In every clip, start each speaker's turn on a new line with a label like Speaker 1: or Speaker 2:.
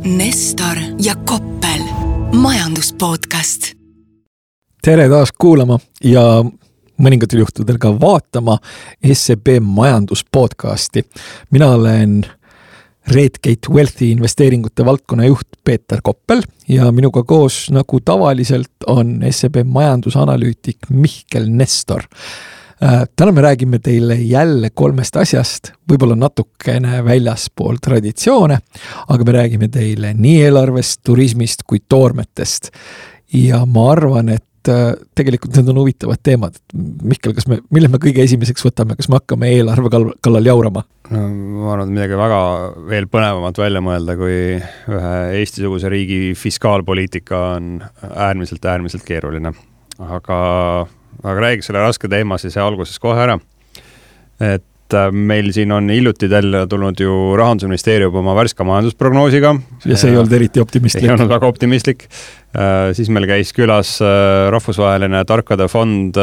Speaker 1: Nestor ja Koppel, majanduspodcast.
Speaker 2: Tere taas kuulama ja mõningatel juhtudel ka vaatama SEB majanduspodcasti. Mina olen Redgate Wealthy investeeringute valdkonna juht Peeter Koppel ja minuga koos nagu tavaliselt on SEB majandusanalüütik Mihkel Nestor. Täna me räägime teile jälle 3 asjast, võib-olla natukene väljaspool traditsioone, aga me räägime teile nii eelarvest, turismist kui toormetest. Ja ma arvan, et tegelikult need on huvitavad teemad. Mihkel, mille me kõige esimeseks võtame? Kas me hakkame eelarve kallal jaurama?
Speaker 3: No, ma arvan, et midagi väga veel põnevamat välja mõelda, kui ühe Eesti-suguse riigi fiskaalpoliitika on äärmiselt keeruline. Aga räägi selle raske teema siis alguses kohe ära. Et meil siin on hiljuti tulnud ju Rahandusministeerium oma värska majandusprognoosiga.
Speaker 2: Ja see ei olnud eriti optimistlik.
Speaker 3: Ei olnud väga optimistlik. Siis meil käis külas rahvusvaheline tarkade fond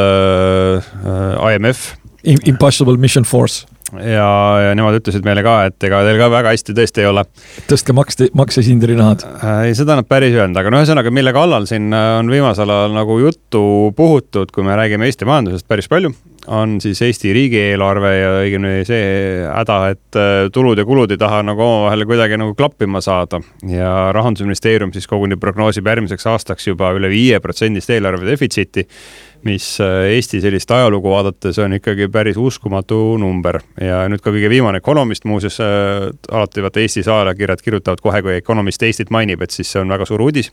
Speaker 3: IMF.
Speaker 2: Impossible Mission Force.
Speaker 3: Ja nemad ütlesid meile ka, et ega teil ka väga hästi tõesti ei ole.
Speaker 2: Tõstke maksesindri nahad.
Speaker 3: Ei, seda nad päris öelnud, aga ühesõnaga, mille kallal siin on viimasel ajal nagu juttu puhutud, kui me räägime Eesti majandusest päris palju, on siis Eesti riigieelarve ja õigemini see häda, et tulud ja kulud ei taha nagu omavahel kuidagi nagu klappima saada. Ja Rahandusministeerium siis koguni prognoosib järgmiseks aastaks juba üle 5% eelarve defitsiiti, mis Eesti sellist ajalugu vaadates on ikkagi päris uskumatu number. Ja nüüd ka kõige viimane Economist muuseas alati vaata Eesti ajakirjad kirjutavad kohe, kui Economist Eestit mainib, et siis see on väga suur uudis,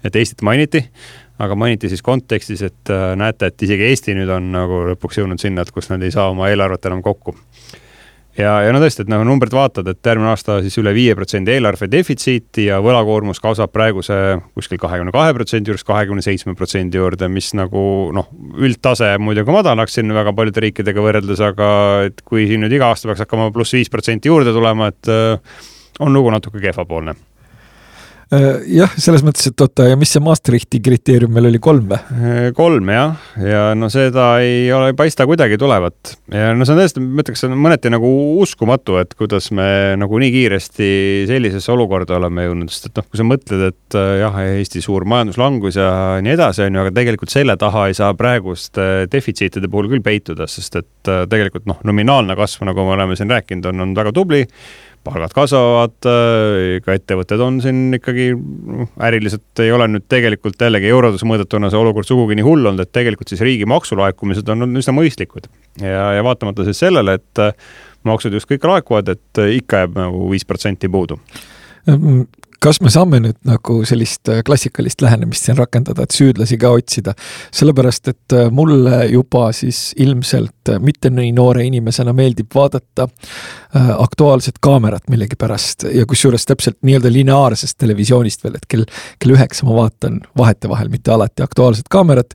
Speaker 3: et Eestit mainiti, aga mainiti siis kontekstis, et näete, et isegi Eesti nüüd on nagu lõpuks jõudnud sinna, et kus nad ei saa oma eelarvet enam kokku. Ja no tõesti, et numbrid vaatad, et järgmine aasta siis üle 5% eelarve defitsiiti ja võlakoormus kasvab praeguse kuskil 22% juures 27% juurde, mis nagu üldtase muidugi madalaks siin väga paljude riikidega võrreldes, aga et kui siin nüüd iga aasta peaks hakkama plus 5% juurde tulema, et on lugu natuke kehvapoolne.
Speaker 2: Jah, selles mõttes, et ja mis see Maastrichti kriteerium meil oli 3 või?
Speaker 3: 3, jah. Ja seda ei paista kuidagi tulevat. Ja see on tõesti, ma ütleks, mõneti nagu uskumatu, et kuidas me nagu nii kiiresti sellisesse olukorda oleme jõudnud. Sest et kui sa mõtled, et jah, Eesti suur majanduslangus ja nii edasi on ju, aga tegelikult selle taha ei saa praegust defitsiitide puhul küll peituda, sest et tegelikult nominaalne kasv, nagu me oleme siin rääkinud, on väga tubli. Palgad kasvavad, ka ettevõtted on siin ikkagi äriliselt ei ole nüüd tegelikult jällegi eurodes mõõdetuna see olukord sugugi nii hull olnud, et tegelikult siis riigi maksulaekumised on üsna mõistlikud. Ja vaatamata siis sellele, et maksud just kõik laekuvad, et ikka jääb nagu 5% puudu.
Speaker 2: Kas me saame nüüd nagu sellist klassikalist lähenemist siin rakendada, et süüdlasi ka otsida? Sellepärast, et mulle juba siis ilmselt mitte nii noore inimesena meeldib vaadata aktuaalset kaamerat millegi pärast ja kusjuures täpselt nii-öelda lineaarsest televisioonist veel, et kell 9 ma vaatan vahel, mitte alati aktuaalset kaamerat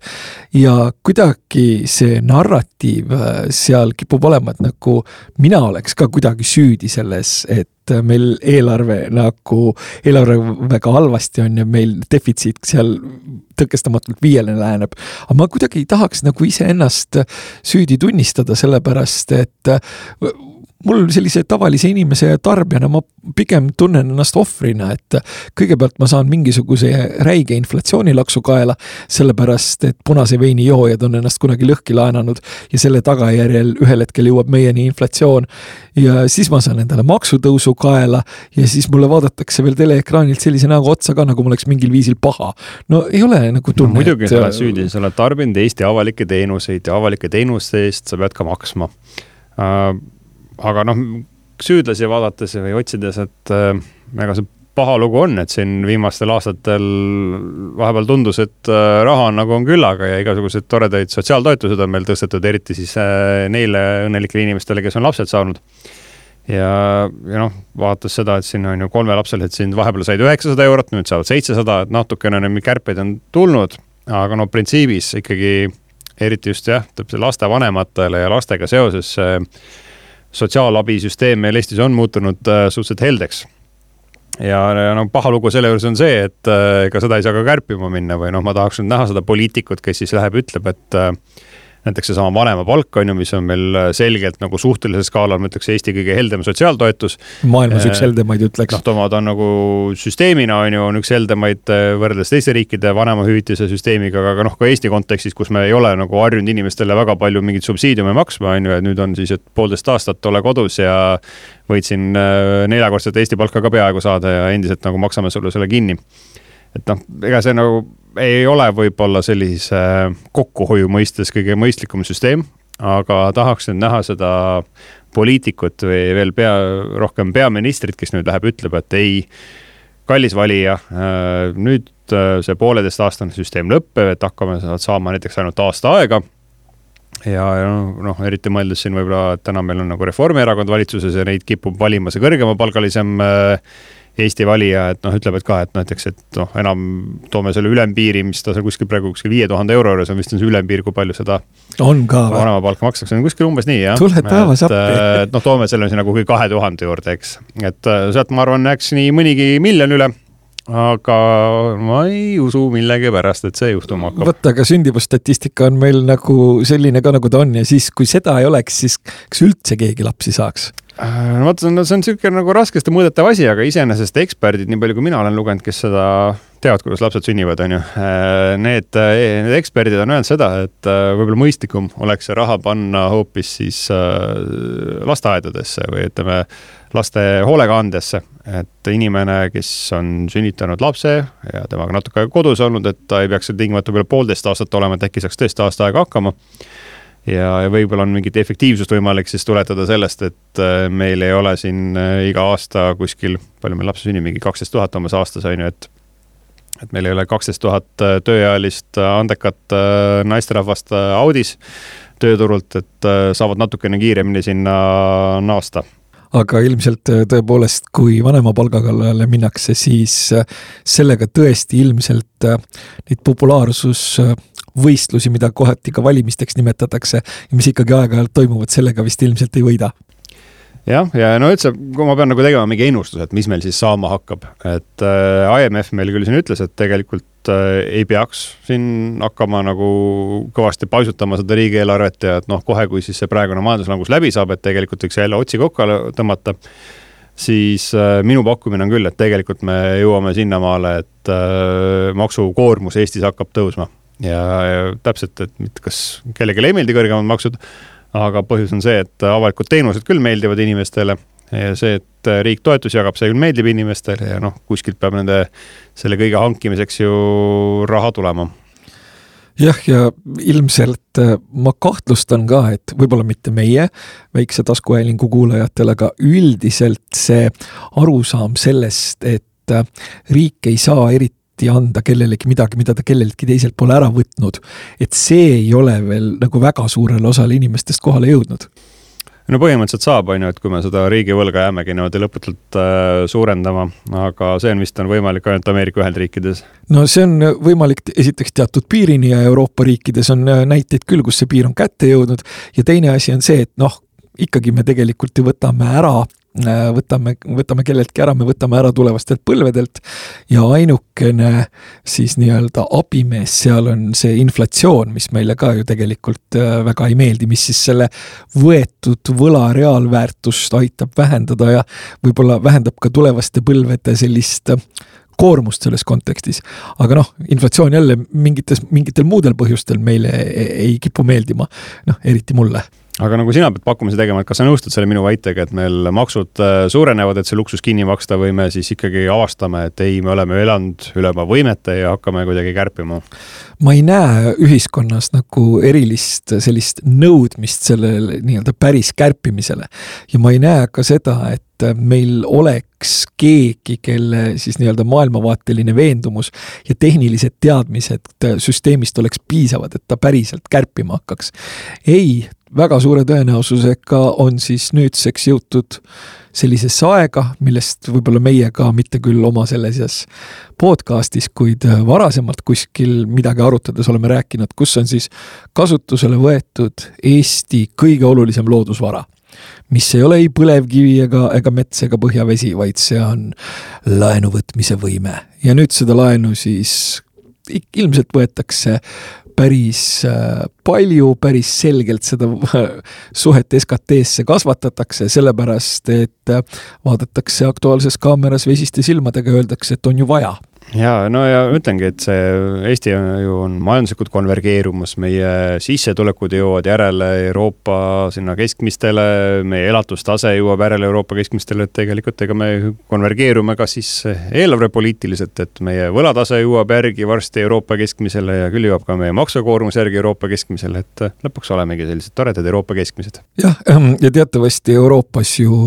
Speaker 2: ja kuidagi see narratiiv seal kipub olema, et nagu mina oleks ka kuidagi süüdi selles, et meil eelarve väga halvasti on ja meil defitsiit seal tõkestamatult 5 läheneb. Aga ma kuidagi ei tahaks nagu ise ennast süüdi tunnistada, sellepärast, et mul sellise tavalise inimese ja tarbijana ma pigem tunnen ennast ohvrina, et kõigepealt ma saan mingisuguse räige inflatsioonilaksu kaela, sellepärast, et punase veini joojad on ennast kunagi lõhki laenanud ja selle tagajärjel ühel hetkel jõuab meieni inflatsioon ja siis ma saan endale maksutõusu kaela ja siis mulle vaadatakse veel teleekraanilt sellise näoga otsa ka, nagu ma oleks mingil viisil paha. No ei ole nagu tunne.
Speaker 3: Muidugi sa oled süüdi, sa oled tarbinud Eesti avalikke teenuseid ja avalike teenuste eest sa pead ka maksma. Aga süüdlasi vaadates või otsides, et ega see paha lugu on, et siin viimastel aastatel vahepeal tundus, et raha nagu on küllaga ja igasugused toredaid sotsiaaltoetused on meil tõstetud, eriti siis neile õnnelikele inimestele, kes on lapsed saanud. Ja vaadates seda, et siin on ju 3 lapselised, siin vahepeal said 900 eurot, nüüd saavad 700, et natukene kärpeid on tulnud, aga printsiibis ikkagi eriti just laste vanematele ja lastega seoses sotsiaalabisüsteem meil Eestis on muutunud suhteliselt heldeks. Ja paha lugu selle juures on see, et ega seda ei saa ka kärpima minna või ma tahaks nüüd näha seda poliitikut, kes siis läheb ütleb, et näiteks see sama vanema palk on ju, mis on meil selgelt nagu suhtelisel skaalal, ma ütleks Eesti kõige heldem sotsiaaltoetus.
Speaker 2: Maailmas üks heldemaid ütleks.
Speaker 3: Noh, ta on nagu süsteemina on üks heldemaid võrreldes teiste riikide vanemahüvitise süsteemiga, aga noh, ka Eesti kontekstis, kus me ei ole nagu harjunud inimestele väga palju mingit subsiidiume maksma, on ju, et nüüd on siis, et 1,5 aastat ole kodus ja võid siin 4-kordsed Eesti palka ka peaaegu saada ja endiselt nagu maksame sulle selle kinni. Et noh, ega see nagu ei ole võib-olla sellise kokkuhoiu mõistes kõige mõistlikum süsteem, aga tahaks nüüd näha seda poliitikut või veel rohkem peaministrit, kes nüüd läheb, ütleb, et ei, kallis valija, nüüd see 1,5-aastane süsteem lõppeb, et hakkame saama näiteks ainult aasta aega. Ja noh, eriti mõeldes siin võib-olla, et täna meil on nagu Reformierakond valitsuses ja neid kipub valima see kõrgema palgalisem Eesti valija, et noh, ütleb, et ka, et näiteks, et noh, enam toome selle ülempiiri, mis ta seal kuskil praegu 5000 euro juures on vist on see ülempiir, kui palju seda
Speaker 2: on ka
Speaker 3: vanema palka makstakse, on kuskil umbes nii, jah.
Speaker 2: Tuled päevas appi.
Speaker 3: Et noh, toome selle nagu 2000 juurde, eks. Et sealt ma arvan, näeks nii mõnigi miljon üle, aga ma ei usu millegi pärast, et see juhtuma hakkab.
Speaker 2: Võtta, aga sündimusstatistika on meil nagu selline ka, nagu ta on ja siis, kui seda ei oleks, siis kas üldse keegi lapsi saaks?
Speaker 3: No vaata, see on selline nagu raskesti mõõdetav asi, aga iseenesest eksperdid, nii palju kui mina olen lugenud, kes seda teavad, kuidas lapsed sünnivad, on ju. Need eksperdid on öelnud seda, et võib-olla mõistlikum oleks see raha panna hoopis siis lasteaedadesse või ütleme laste hoolekandesse, et inimene, kes on sünnitanud lapse ja temaga natuke kodus olnud, et ta ei peaks tingimata veel 1,5 aastat olema, et äkki saaks tõesti aasta aega hakkama. Ja võib-olla on mingit efektiivsust võimalik siis tuletada sellest, et meil ei ole siin iga aasta kuskil, palju meil lapse sünni, mingi 12 000 omas aastas on ju, et meil ei ole 12 000 tööealist andekat naisterahvast audis tööturult, et saavad natukene kiiremini sinna naasta.
Speaker 2: Aga ilmselt tõepoolest, kui vanema palgakallale minnakse, siis sellega tõesti ilmselt neid populaarsus võistlusi, mida kohati ka valimisteks nimetatakse ja mis ikkagi aeg-ajalt toimuvad, sellega vist ilmselt ei võida.
Speaker 3: Jah, ja no üldse, kui ma pean nagu tegema mingi ennustus, et mis meil siis saama hakkab, et IMF meil küll siin ütles, et tegelikult ei peaks siin hakkama nagu kõvasti paisutama seda riigieelarvet ja et noh, kohe kui siis see praegune majanduslangus läbi saab, et tegelikult võiks jälle otsi kokku tõmmata, siis minu pakkumine on küll, et tegelikult me jõuame sinnamaale, et maksukoormus Eestis hakkab tõusma. Ja täpselt, et kas kellelegi ei meeldi kõrgemad maksud, aga põhjus on see, et avalikud teenused küll meeldivad inimestele ja see, et riik toetus jagab, see küll meeldib inimestele ja noh, kuskilt peab nende selle kõige hankimiseks ju raha tulema.
Speaker 2: Jah, ja ilmselt ma kahtlustan ka, et võib-olla mitte meie väikse taskuhäälingu kuulajatele, aga üldiselt see arusaam sellest, et riik ei saa eriti anda kellelegi midagi, mida ta kellelegi teiselt pole ära võtnud, et see ei ole veel nagu väga suurele osale inimestest kohale jõudnud.
Speaker 3: No põhimõtteliselt saab, on ju, et kui me seda riigivõlga jäämegi niimoodi lõputult suurendama, aga see on vist võimalik ainult Ameerika Ühendriikides.
Speaker 2: No see on võimalik esiteks teatud piirini ja Euroopa riikides on näiteid küll, kus see piir on kätte jõudnud ja teine asi on see, et noh, ikkagi me tegelikult ju võtame kelleltki ära, me võtame ära tulevastelt põlvedelt ja ainukene siis nii-öelda abimees seal on see inflatsioon, mis meile ka ju tegelikult väga ei meeldi, mis siis selle võetud võla reaalväärtust aitab vähendada ja võib-olla vähendab ka tulevaste põlvede sellist koormust selles kontekstis. Aga noh, inflatsioon jälle mingitel muudel põhjustel meile ei kipu meeldima, noh, eriti mulle.
Speaker 3: Aga nagu sina pead pakkumise tegema, et kas sa nõustud selle minu väitega, et meil maksud suurenevad, et see luksus kinni maksta või me siis ikkagi avastame, et ei, me oleme elanud üle oma võimete ja hakkame kuidagi kärpima?
Speaker 2: Ma ei näe ühiskonnas nagu erilist sellist nõudmist sellele nii-öelda päris kärpimisele ja ma ei näe ka seda, et meil oleks keegi, kelle siis nii-öelda maailmavaateline veendumus ja tehnilised teadmised süsteemist oleks piisavad, et ta päriselt kärpima hakkaks. Ei, väga suure tõenäosusega on siis nüüdseks jõutud sellisesse aega, millest võib-olla meie ka mitte küll oma selles podcastis, kuid varasemalt kuskil midagi arutades oleme rääkinud, kus on siis kasutusele võetud Eesti kõige olulisem loodusvara, mis ei ole ei põlevkivi ega mets ega põhjavesi, vaid see on laenu võtmise võime. Ja nüüd seda laenu siis ilmselt võetakse päris palju, päris selgelt seda suhet SKT-sse kasvatatakse, sellepärast, et vaadatakse Aktuaalses Kaameras vesiste silmadega, öeldakse, et on ju vaja.
Speaker 3: Ja, no ja ütlengi, et see Eesti ju on majanduslikult konvergeerumas, meie sissetulekud jõuavad järele Euroopa sinna keskmistele, meie elatustase jõuab järele Euroopa keskmistele, et tegelikult ega me konvergeerume ka siis eelarvepoliitiliselt, et meie võlatase jõuab järgi varsti Euroopa keskmisele ja küll jõuab ka meie maksukoormus järgi Euroopa keskmisele, et lõpuks olemegi sellised toredad Euroopa keskmised.
Speaker 2: Jah, ja teatavasti Euroopas ju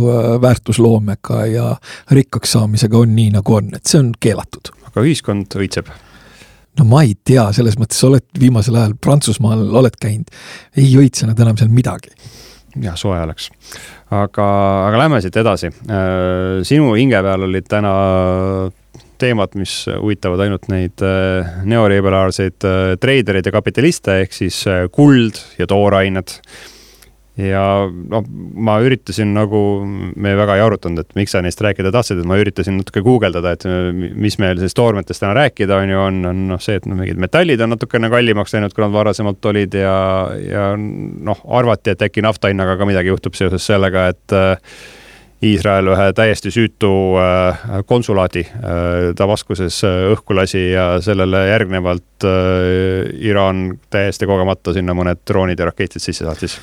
Speaker 2: väärtusloomega ja rikkaks saamisega on nii nagu on, et see on keelatud.
Speaker 3: Aga ühiskond õitseb?
Speaker 2: No ma ei tea, selles mõttes oled viimasel ajal Prantsusmaal oled käinud, ei õitse nad enam seal midagi.
Speaker 3: Ja, soe oleks. Aga lähme siit edasi. Sinu hinge peal olid täna teemad, mis huvitavad ainult neid neoliberaalseid treidereid ja kapitaliste, ehk siis kuld ja toorained. Ja no, ma üritasin nagu, me väga ei arutanud, et miks sa neist rääkida tahtsid, et ma üritasin natuke guugeldada, et mis meil siis toormetest täna rääkida on see, et mingid metallid on natukene kallimaks läinud, kui nad varasemalt olid ja arvati, et äkki naftahinnaga ka midagi juhtub seoses sellega, et Iisrael ühe täiesti süütu konsulaadi Damaskuses õhku lasi ja sellele järgnevalt Iraan täiesti kogemata sinna mõned droonid ja raketid sisse saatis.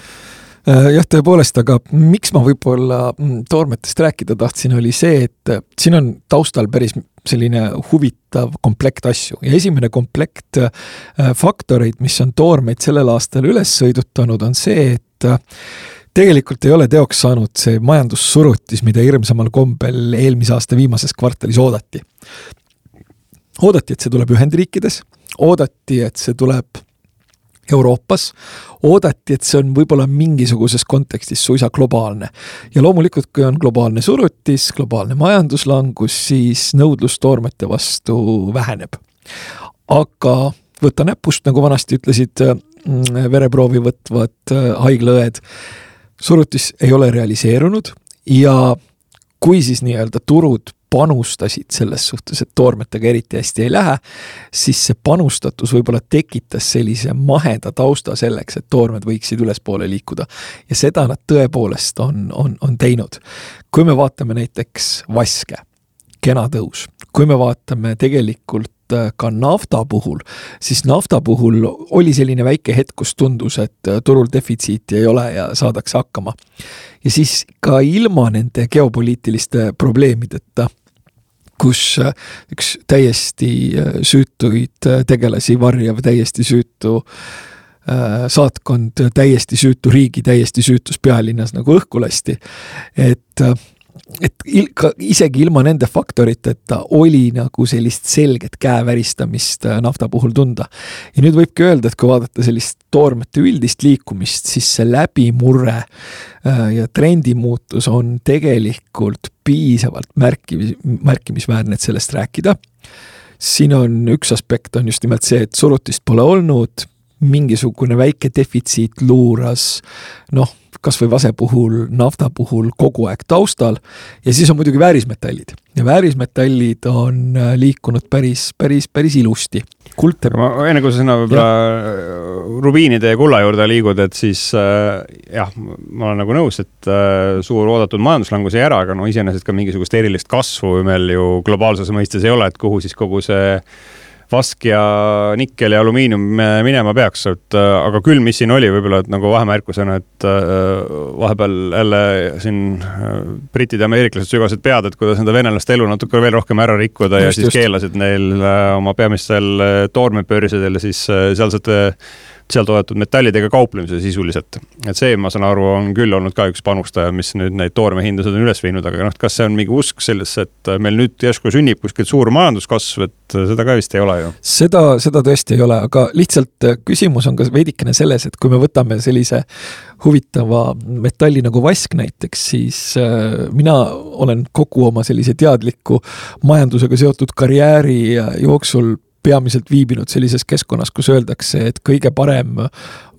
Speaker 2: Jah, tõepoolest, aga miks ma võib-olla toormetest rääkida tahtsin, oli see, et siin on taustal päris selline huvitav komplekt asju. Ja esimene komplekt faktoreid, mis on toormeid sellel aastal üles sõidutanud, on see, et tegelikult ei ole teoks saanud see majandussurutis, mida hirmsamal kombel eelmise aasta viimases kvartalis oodati. Oodati, et see tuleb Ühendriikides, oodati, et see tuleb Euroopas, oodati, et see on võib-olla mingisuguses kontekstis suisa globaalne. Ja loomulikult, kui on globaalne surutis, globaalne majanduslangus, siis nõudlus toormete vastu väheneb. Aga võtta näpust, nagu vanasti ütlesid vereproovi võtvad haiglaõed, surutis ei ole realiseerunud ja kui siis nii-öelda turud panustasid selles suhtes, et toormetega eriti hästi ei lähe, siis see panustatus võib-olla tekitas sellise maheda tausta selleks, et toormed võiksid ülespoole liikuda. Ja seda nad tõepoolest on teinud. Kui me vaatame näiteks vaske, kena tõus, kui me vaatame tegelikult ka nafta puhul, siis nafta puhul oli selline väike hetk, kus tundus, et turul defitsiiti ei ole ja saadakse hakkama. Ja siis ka ilma nende geopoliitiliste probleemideta, kus üks täiesti süütuid tegelasi varjav, täiesti süütu saatkond, täiesti süütu riigi, täiesti süütus pealinnas nagu õhku lasti. Et isegi ilma nende faktoriteta oli nagu sellist selget käeväristamist nafta puhul tunda. Ja nüüd võibki öelda, et kui vaadata sellist toormete üldist liikumist, siis see läbimurre ja trendimuutus on tegelikult piisavalt märkimisväärne, et sellest rääkida. Siin on üks aspekt on just nimelt see, et surutist pole olnud, mingisugune väike defitsiit luuras, kas või vase puhul, nafta puhul kogu aeg taustal ja siis on muidugi väärismetallid. Ja väärismetallid on liikunud päris ilusti.
Speaker 3: Ma enne kui sa sinna rubiinide ja kulla juurde liigud, et siis jah, ma olen nagu nõus, et suur oodatud majanduslangus ei ära, aga iseenesest ka mingisugust erilist kasvu meil ju globaalses mõistes ei ole, et kuhu siis kogu see vask ja nikkel ja alumiinium minema peaks, aga küll, mis siin oli võib-olla, et nagu vahemärkusena, et vahepeal jälle siin britid ja ameeriklased sügasid pead, et kuidas nende venelaste elu natuke veel rohkem ära rikkuda ja siis keelasid neil oma peamistel toormepöörsidel ja siis seal toodetud metallidega kauplemise sisuliselt. Et see, ma saan aru, on küll olnud ka üks panustaja, mis nüüd neid toormehindasid on üles viinud, aga kas see on mingi usk sellesse, et meil nüüd järsku sünnib kuskilt suur majanduskasv, et seda ka vist ei ole ju?
Speaker 2: Seda tõesti ei ole, aga lihtsalt küsimus on ka veidikene selles, et kui me võtame sellise huvitava metalli nagu vask näiteks, siis mina olen kogu oma sellise teadliku majandusega seotud karjääri jooksul peamiselt viibinud sellises keskkonnas, kus öeldakse, et kõige parem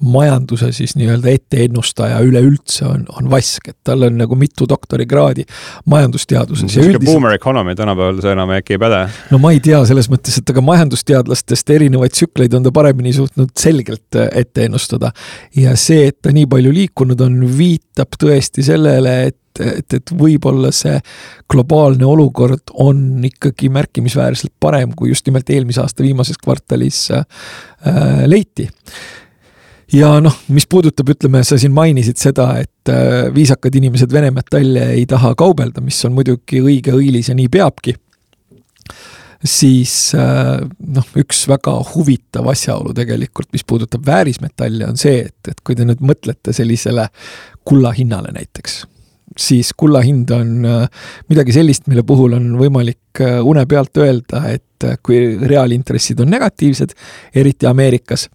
Speaker 2: majanduse siis nii-öelda etteennustaja üleüldse on Vask, et tal on nagu mitu doktorikraadi majandusteaduses.
Speaker 3: See boomer economy tänapäeval see enam äkki ei päde.
Speaker 2: No ma ei tea selles mõttes, et aga majandusteadlastest erinevaid tsükleid on ta paremini suutnud selgelt ette ennustada. Ja see, et ta nii palju liikunud on, viitab tõesti sellele, et võib-olla see globaalne olukord on ikkagi märkimisväärselt parem, kui just nimelt eelmise aasta viimases kvartalis leiti. Ja noh, mis puudutab, ütleme, sa siin mainisid seda, et viisakad inimesed Vene metalle ei taha kaubelda, mis on muidugi õige õilis ja nii peabki, siis üks väga huvitav asjaolu tegelikult, mis puudutab väärismetalle, on see, et kui te nüüd mõtlete sellisele kulla hinnale näiteks, siis kulla hind on midagi sellist, mille puhul on võimalik une pealt öelda, et kui reaalintressid on negatiivsed, eriti Ameerikas,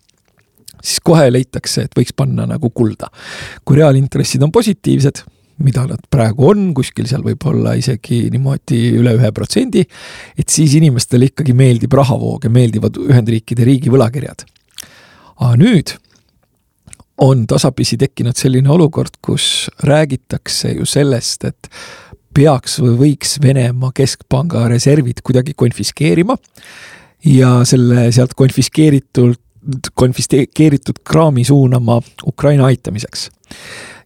Speaker 2: siis kohe leitakse, et võiks panna nagu kulda. Kui reaalintressid on positiivsed, mida nad praegu on, kuskil seal võib olla isegi niimoodi üle 1%, et siis inimestele ikkagi meeldib rahavoog ja meeldivad Ühendriikide riigi võlakirjad. Aga nüüd on tasapisi tekkinud selline olukord, kus räägitakse ju sellest, et peaks või võiks Venemaa keskpanga reservid kuidagi konfiskeerima ja selle sealt konfiskeeritud kraami suunama Ukraina aitamiseks.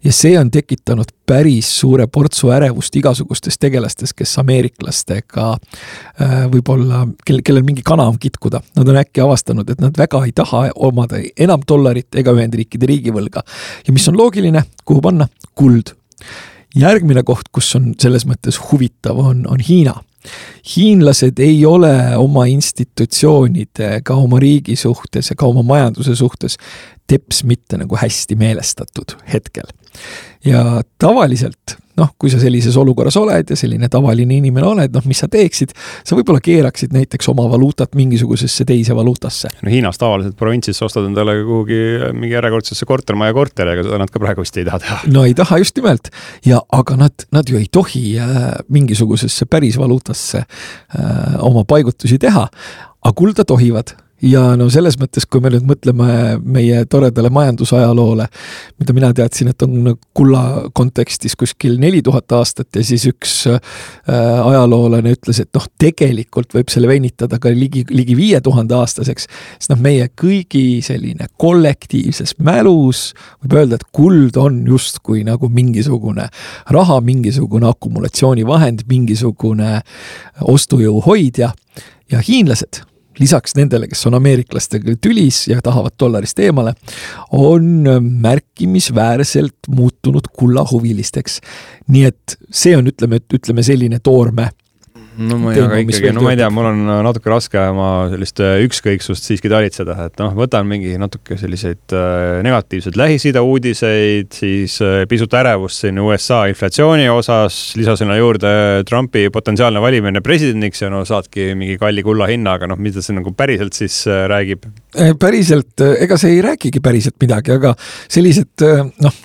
Speaker 2: Ja see on tekitanud päris suure portsu ärevust igasugustes tegelastes, kes ameeriklastega võib-olla, kellel mingi kana on kitkuda. Nad on äkki avastanud, et nad väga ei taha omada enam dollarit ega Ühendriikide riigivõlga. Ja mis on loogiline, kuhu panna? Kuld. Järgmine koht, kus on selles mõttes huvitav, on Hiina. Hiinlased ei ole oma institutsioonide ega oma riigi suhtes ega oma majanduse suhtes teps mitte nagu hästi meelestatud hetkel. Ja tavaliselt, kui sa sellises olukorras oled ja selline tavaline inimene oled, mis sa teeksid, sa võib-olla keeraksid näiteks oma valuutat mingisugusesse teise valuutasse.
Speaker 3: No Hiinas tavaliselt provintsis ostad endale kuhugi mingi järjekordsesse kortermaja korteriga, seda nad ka praegu vist ei taha teha.
Speaker 2: No ei taha just nimelt, aga nad ju ei tohi mingisugusesse päris valuutasse oma paigutusi teha, aga kulda tohivad. Ja selles mõttes, kui me nüüd mõtleme meie toredale majandusajaloole, mida mina teadsin, et on kulla kontekstis kuskil 4000 aastat ja siis üks ajaloolane ütles, et tegelikult võib selle venitada ka ligi 5000 aastaseks, sest meie kõigi selline kollektiivses mälus võib öelda, et kuld on justkui nagu mingisugune raha, mingisugune akumulatsioonivahend, mingisugune ostujõu hoidja ja hiinlased lisaks nendele, kes on ameeriklastega tülis ja tahavad dollarist eemale, on märkimisväärselt muutunud kullahuvilisteks. Nii et see on, ütleme selline toorme.
Speaker 3: No ma ei tea, mul on natuke raske oma sellist ükskõiksust siiski talitseda, et võtan mingi natuke selliseid negatiivseid Lähis-Ida uudiseid, siis pisut ärevust siin USA inflatsiooni osas, lisasinna juurde Trumpi potentsiaalne valimine presidendiks ja saadki mingi kalli kulla hinna, aga mida see nagu päriselt siis räägib?
Speaker 2: Päriselt, ega see ei räägigi päriselt midagi, aga sellised,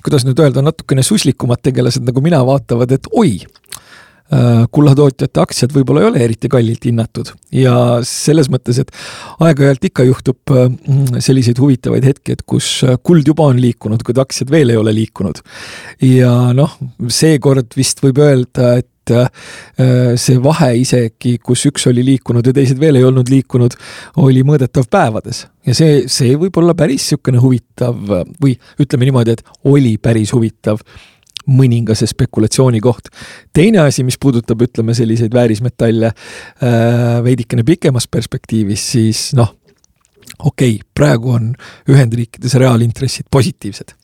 Speaker 2: kuidas nüüd öelda, natukene suslikumad tegelased nagu mina vaatavad, et oi, kullatootjate aktsiad võib-olla ei ole eriti kallilt hinnatud ja selles mõttes, et aeg-ajalt ikka juhtub selliseid huvitavaid hetki, et kus kuld juba on liikunud, kui aktsiad veel ei ole liikunud ja seekord vist võib öelda, et see vahe isegi, kus üks oli liikunud ja teised veel ei olnud liikunud, oli mõõdetav päevades ja see võib olla päris sükene huvitav või ütleme niimoodi, et oli päris huvitav mõningase spekulatsiooni koht. Teine asi, mis puudutab, ütleme, selliseid väärismetalle veidikene pikemas perspektiivis, siis praegu on Ühendriikides reaalintressid positiivsed.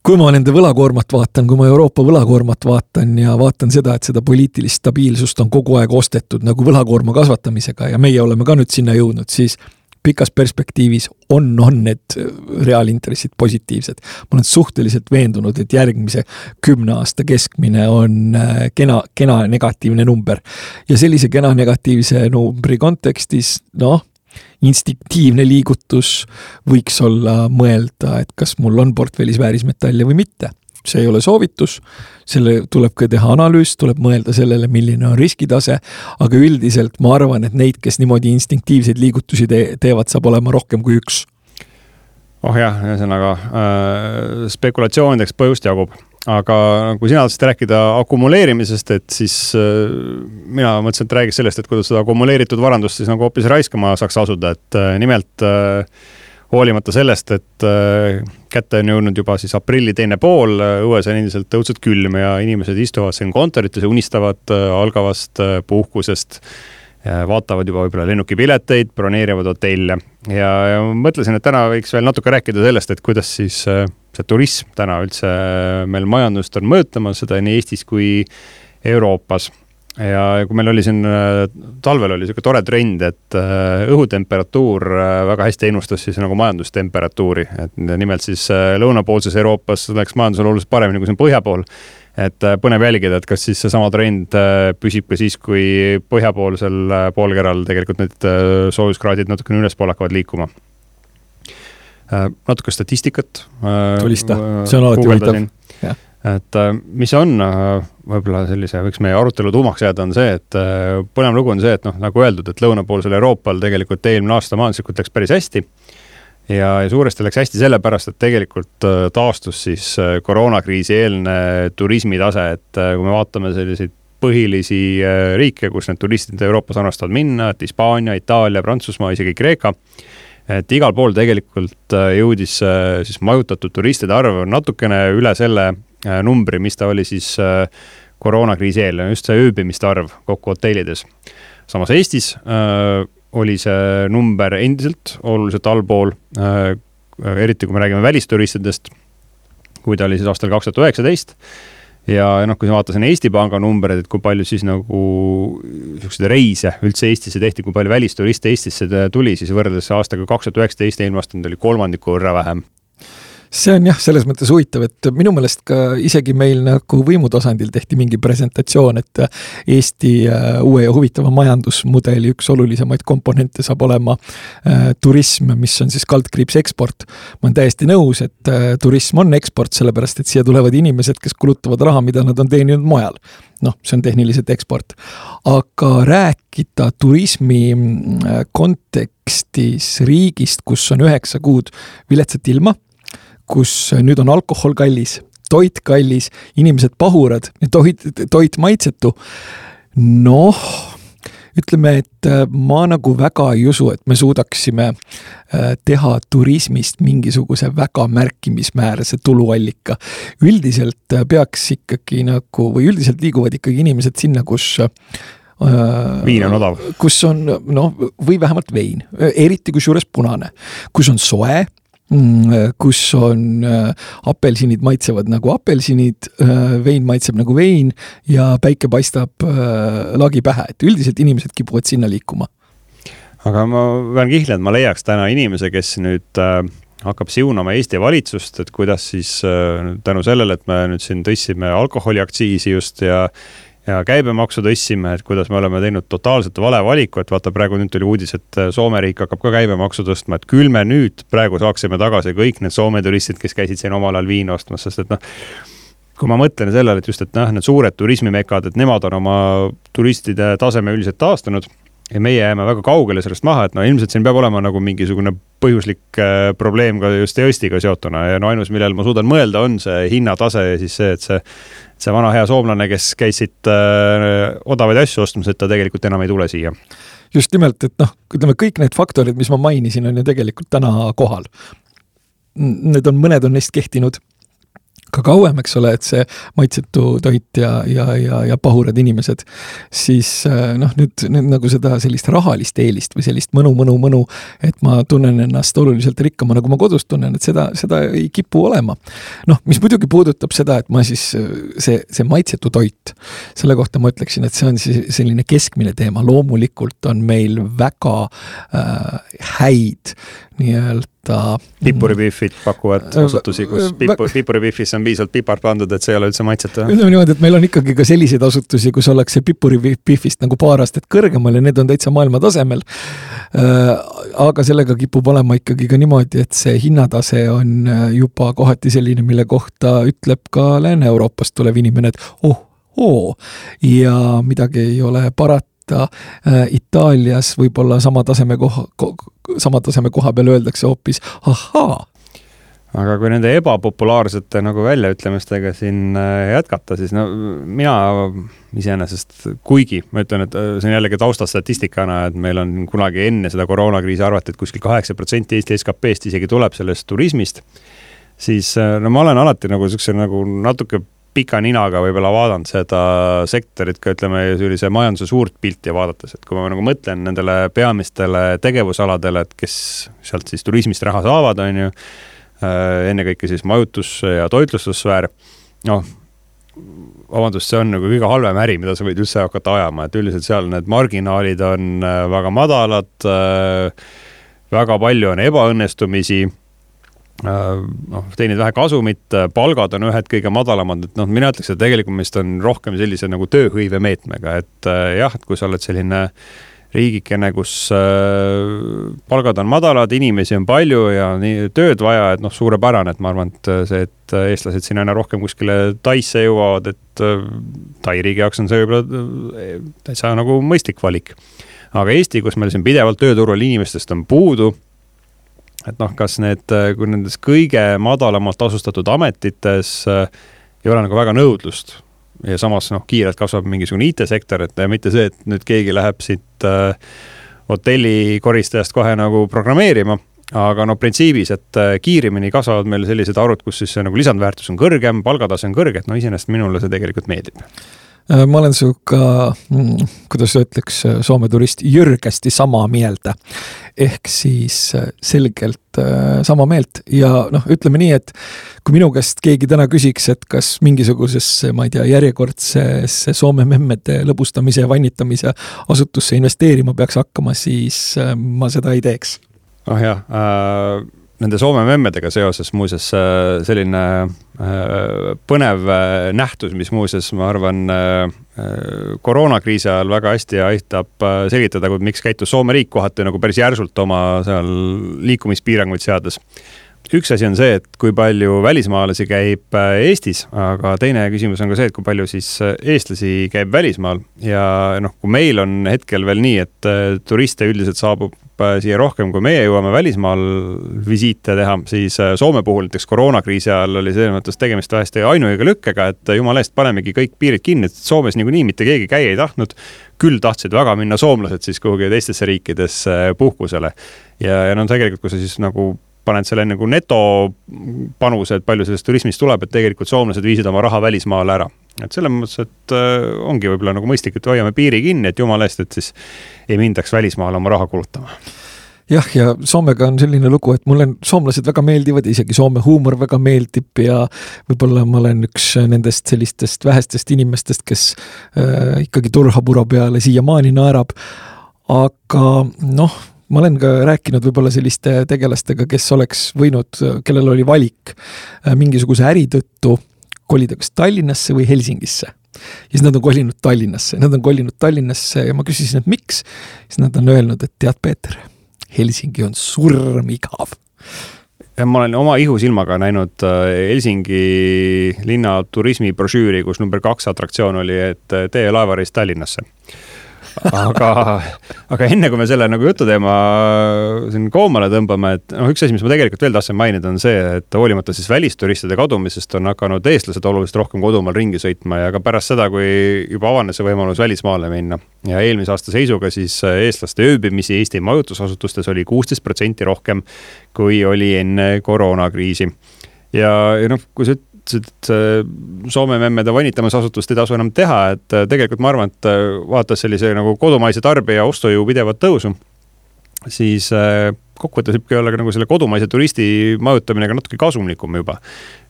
Speaker 2: Kui ma nende võlakoormat vaatan, kui ma Euroopa võlakoormat vaatan ja vaatan seda, et seda poliitilist stabiilsust on kogu aeg ostetud nagu võlakoorma kasvatamisega ja meie oleme ka nüüd sinna jõudnud, siis pikas perspektiivis on need reaalintressid positiivsed. Ma olen suhteliselt veendunud, et järgmise 10 aasta keskmine on kena negatiivne number. Ja sellise kena negatiivse numbri kontekstis, instinktiivne liigutus võiks olla mõelda, et kas mul on portfellis väärismetalle või mitte. see ei ole soovitus, selle tuleb ka teha analüüs, tuleb mõelda sellele, milline on riskitase, aga üldiselt ma arvan, et neid, kes niimoodi instinktiivseid liigutusi teevad, saab olema rohkem kui üks.
Speaker 3: Oh jah, ühesõnaga spekulatsioonideks põhjust jagub. Aga kui sina tahtsid rääkida akumuleerimisest, et siis mina mõtlesin, et räägis sellest, et kuidas seda akumuleeritud varandust siis nagu hoopis raiskama saaks asuda, et nimelt hoolimata sellest, et kätte on jõudnud juba siis aprilli teine pool, õues on endiselt tõudselt külm ja inimesed istuvad siin kontorites ja unistavad algavast puhkusest, vaatavad juba võib-olla lennukipileteid, broneerivad hotelle ja mõtlesin, et täna võiks veel natuke rääkida sellest, et kuidas siis see turism täna üldse meil majandust on mõõtamas, seda nii Eestis kui Euroopas. Ja kui meil oli siin talvel oli selline tore trend, et õhutemperatuur väga hästi ennustas siis nagu majandustemperatuuri, et nimelt siis lõunapoolses Euroopas läks majandusel oluliselt paremini kui siin põhja pool. Et põnev jälgida, et kas siis see sama trend püsib ka siis, kui põhjapoolsel poolkeral tegelikult need soojuskraadid natukene ülespool hakkavad liikuma. Natuke statistikat.
Speaker 2: Tulista, see on alati huvitav.
Speaker 3: Et mis on võib-olla sellise, võiks meie arutelu tuumaks jääda, on see, et põnev lugu on see, et nagu öeldud, et lõunapoolsel Euroopal tegelikult eelmine aasta majanduslikult läks päris hästi ja suuresti läks hästi sellepärast, et tegelikult taastus siis koroonakriisi eelne turismitase, et kui me vaatame selliseid põhilisi riike, kus need turistid Euroopas annastavad minna, et Hispaania, Itaalia, Prantsusmaa, isegi Kreeka, et igal pool tegelikult jõudis siis majutatud turistide arv natukene üle selle numbri, mis ta oli siis koroonakriisi eel, just see ööbimiste arv kokku hotellides. Samas Eestis oli see number endiselt oluliselt allpool, eriti kui me räägime välisturistidest, kui ta oli siis aastal 2019. Ja kui ma vaatasin Eesti Panga numberid, et kui palju siis nagu reise üldse Eestisse tehti, kui palju välisturiste Eestisse tuli, siis võrreldes aastaga 2019 eelmast oli 3% võrra vähem.
Speaker 2: See on jah, selles mõttes huvitav, et minu meelest ka isegi meil nagu võimutasandil tehti mingi presentatsioon, et Eesti uue ja huvitava majandusmudeli üks olulisemaid komponente saab olema turism, mis on siis kaldkriips eksport. Ma olen täiesti nõus, et turism on eksport, sellepärast, et siia tulevad inimesed, kes kulutavad raha, mida nad on teeninud mujal. See on tehniliselt eksport. Aga rääkida turismi kontekstis riigist, kus on 9 kuud viletsat ilma, kus nüüd on alkohol kallis, toit kallis, inimesed pahurad, toit maitsetu. Ütleme, et ma nagu väga ei usu, et me suudaksime teha turismist mingisuguse väga märkimismäärase tuluallika. Üldiselt peaks ikkagi nagu, või üldiselt liiguvad ikkagi inimesed sinna, kus
Speaker 3: viin on odav.
Speaker 2: Kus on, või vähemalt vein, eriti kus juures punane, kus on soe, kus on apelsinid maitsevad nagu apelsinid, vein maitseb nagu vein ja päike paistab lagi pähe, et üldiselt inimesed kipuvad sinna liikuma.
Speaker 3: Aga ma pean kihla, et ma leiaks täna inimese, kes nüüd hakkab siunama Eesti valitsust, et kuidas siis tänu sellele, et me nüüd siin tõssime alkoholiaktsiisi just ja käibemaksu tõssime, et kuidas me oleme teinud totaalselt vale valiku, et vaata praegu nüüd tuli uudis, et Soome riik hakkab ka käibemaksu tõstma, et küll me nüüd praegu saaksime tagasi kõik need Soome turistid, kes käisid siin omal ajal viina ostmas, sest et kui ma mõtlen sellele, et just, et need suured turismimekad, et nemad on oma turistide taseme üldiselt taastanud ja meie jääme väga kaugele sellest maha, et ilmselt siin peab olema nagu mingisugune põhjuslik probleem ka just Eestiga seotuna ja ainus, millel ma suudan mõelda, on see hinnatase ja siis see, et see vana hea soomlane, kes käisid odavaid asju ostmas, et ta tegelikult enam ei tule siia.
Speaker 2: Just nimelt, et ütleme, kõik need faktorid, mis ma mainisin, on ju tegelikult täna kohal. Mõned on neist kehtinud ka kauem, eks ole, et see maitsetu toit ja pahurad inimesed, siis nüüd nagu seda sellist rahalist eelist või sellist mõnu, et ma tunnen ennast oluliselt rikkama, nagu ma kodus tunnen, et seda ei kipu olema. Mis muidugi puudutab seda, et ma siis see maitsetu toit, selle kohta ma ütleksin, et see on selline keskmine teema. Loomulikult on meil väga häid nii-öelda
Speaker 3: Pipuripiffid pakuvad asutusi, kus pipuripifis on piisavalt pipart pandud, et see ei ole üldse maitseta.
Speaker 2: Ütleme niimoodi, et meil on ikkagi ka selliseid asutusi, kus ollakse pipuripifist nagu paar aastat kõrgemal ja need on täitsa maailma tasemel. Aga sellega kipub olema ikkagi ka niimoodi, et see hinnatase on juba kohati selline, mille kohta ütleb ka Lääne-Euroopast tulev inimene, et ja midagi ei ole parata. Itaalias võib-olla sama taseme koha peal öeldakse hoopis ahaa.
Speaker 3: Aga kui nende ebapopulaarsete nagu väljaütlemistega siin jätkata, siis no mina iseenesest, kuigi ma ütlen, et see on jällegi taustastatistikana, et meil on kunagi enne seda koroonakriisi arvati, et kuskil 8% Eesti SKP-st isegi tuleb sellest turismist, siis no ma olen alati nagu selline nagu natuke pika ninaga võib-olla vaadanud seda sektorit ka, ütleme, sellise majanduse suurt pilti vaadates, et kui ma nagu mõtlen nendele peamistele tegevusaladele, et kes sealt siis turismist raha saavad, on ju, ennekõike siis majutus- ja toitlustussfäär, vabandust, see on nagu kõige halvem äri, mida sa võid üldse hakata ajama, et üldiselt seal need marginaalid on väga madalad, väga palju on ebaõnnestumisi, teinid vähe kasumit, palgad on ühed kõige madalamad, et mina ütleks, et tegelikult meist on rohkem sellise nagu tööhõive meetmega, et jah, et kui sa oled selline riigikene, kus palgad on madalad, inimesi on palju ja nii tööd vaja, et suurepärane, et ma arvan, et see, et eestlased siin aina rohkem kuskile Taisse jõuavad, et Tai riigi jaoks on see võib-olla täitsa nagu mõistlik valik. Aga Eesti, kus meil siin pidevalt tööturul inimestest on puudu, et kas kui nendes kõige madalamalt tasustatud ametites ei ole nagu väga nõudlust ja samas kiirelt kasvab mingisugune IT-sektor, et mitte see, et nüüd keegi läheb siit hotellikoristajast kohe nagu programmeerima, aga printsiibis, et kiirimini kasvavad meil sellised arvud, kus siis nagu lisandväärtus on kõrgem, palgatase on kõrge, et iseenesest minule see tegelikult meeldib.
Speaker 2: Ma olen sinuga, kuidas ütleks, Soome turist jürgesti sama meelda. Ehk siis selgelt sama meelt ja ütleme nii, et kui minu käest keegi täna küsiks, et kas mingisugusesse, ma ei tea, järjekordsesse Soome memmede lõbustamise ja vannitamise asutusse investeerima peaks hakkama, siis ma seda ei teeks.
Speaker 3: Nende Soome memmedega seoses muuses selline põnev nähtus, mis muuses, ma arvan, koroonakriisi ajal väga hästi aitab selgitada, miks käitus Soome riik kohati nagu päris järsult oma seal liikumispiiranguid seades. Üks asi on see, et kui palju välismaalasi käib Eestis, aga teine küsimus on ka see, et kui palju siis eestlasi käib välismaal ja kui meil on hetkel veel nii, et turiste üldiselt saabub siia rohkem, kui meie jõuame välismaal visiite teha, siis Soome puhul näiteks koroonakriisi ajal oli selles mõttes tegemist vähesti ainuõige lükkega, et jumala eest panemegi kõik piirid kinni, et Soomes niikuinii mitte keegi käia ei tahtnud, küll tahtsid väga minna soomlased siis kuhugi teistesse riikidesse puhkusele ja tegelikult, kui sa siis nagu paned selle nagu netopanuse, et palju sellest turismist tuleb, et tegelikult soomlased viisid oma raha välismaale ära. Et selles mõttes, et ongi võib-olla nagu mõistlik, et hoiame piiri kinni, et jumala eest, et siis ei mindaks välismaale oma raha kulutama.
Speaker 2: Jah, ja Soomega on selline lugu, et mulle soomlased väga meeldivad, isegi Soome huumor väga meeldib ja võib-olla ma olen üks nendest sellistest vähestest inimestest, kes ikkagi turhapura peale siiamaani naerab, aga ma olen ka rääkinud võib-olla selliste tegelastega, kes oleks võinud, kellel oli valik mingisuguse äri tõttu kolida kas Tallinnasse või Helsingisse. Ja siis nad on kolinud Tallinnasse ja ma küsisin, et miks? Siis nad on öelnud, et tead, Peeter, Helsingi on surmigav.
Speaker 3: Ja ma olen oma ihusilmaga näinud Helsingi linna turismibrošüüri, kus number 2 atraktsioon oli, et tee laevareis Tallinnasse. Aga enne kui me selle nagu jututeema siin koomale tõmbame, et üks asi, mis ma tegelikult veel tahtsin mainida, on see, et hoolimata siis välisturistide kadumisest on hakanud eestlased oluliselt rohkem kodumaal ringi sõitma ja ka pärast seda, kui juba avanes see võimalus välismaale minna. Ja eelmise aasta seisuga siis eestlaste ööbimisi Eesti majutusasutustes oli 16% rohkem, kui oli enne koroonakriisi. Ja kui sa Soome memmede vanitamisasutust ei tasu enam teha, et tegelikult ma arvan, et vaatas sellise nagu kodumaise tarbija ostujõu pidevat tõusu, siis kokkuvõttes võibki olla nagu selle kodumaise turisti majutamine ka natuke kasumlikum juba.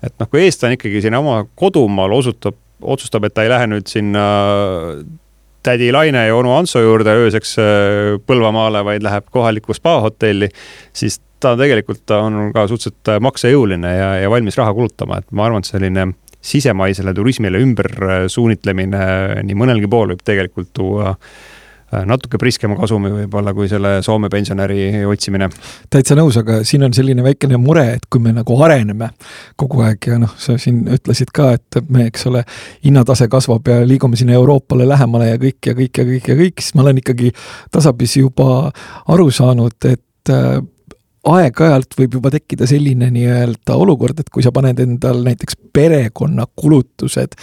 Speaker 3: Et kui eestlane ikkagi sinna oma kodumaal otsustab, et ta ei lähe nüüd sinna tädi Laine ja onu Anso juurde ööseks Põlvamaale, vaid läheb kohalikku spa-hotelli, siis ta tegelikult on ka suhteliselt maksejõuline ja valmis raha kulutama, et ma arvan, et selline sisemaisele turismile ümber suunitlemine nii mõnelgi pool võib tegelikult tuua natuke priskema kasumi võib-olla kui selle Soome pensionäri otsimine.
Speaker 2: Täitsa nõus, aga siin on selline väikene mure, et kui me nagu areneme kogu aeg ja sa siin ütlesid ka, et me, eks ole, hinnatase kasvab ja liigume sinna Euroopale lähemale ja kõik, siis ma olen ikkagi tasapisi juba aru saanud, et aeg-ajalt võib juba tekkida selline nii-öelda olukord, et kui sa paned endal näiteks perekonna kulutused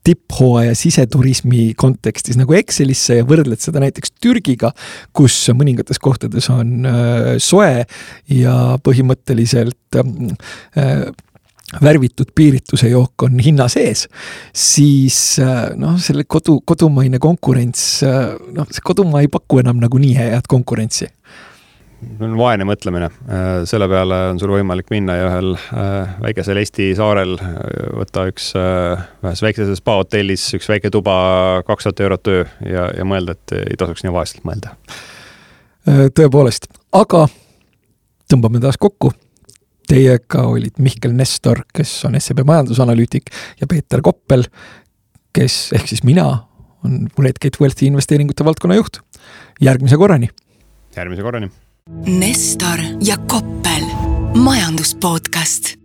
Speaker 2: tipphooaja siseturismi kontekstis nagu Excelisse ja võrdled seda näiteks Türgiga, kus mõningates kohtades on soe ja põhimõtteliselt värvitud piirituse jook on hinna sees, siis selle kodumaine konkurents, see kodumaa ei paku enam nagu nii head konkurentsi.
Speaker 3: On vaene mõtlemine. Selle peale on sul võimalik minna ja ühel väikesel Eesti saarel võtta ühes väikeses spa-hotellis üks väike tuba 200 € öö ja mõelda, et ei tasuks nii vaestelt mõelda.
Speaker 2: Tõepoolest, aga tõmbame taas kokku. Teiega olid Mihkel Nestor, kes on SEB majandusanalüütik ja Peeter Koppel, kes ehk siis mina on Redgate Wealthi investeeringute valdkonna juht. Järgmise korrani.
Speaker 1: Nestor ja Koppel, majanduspodcast.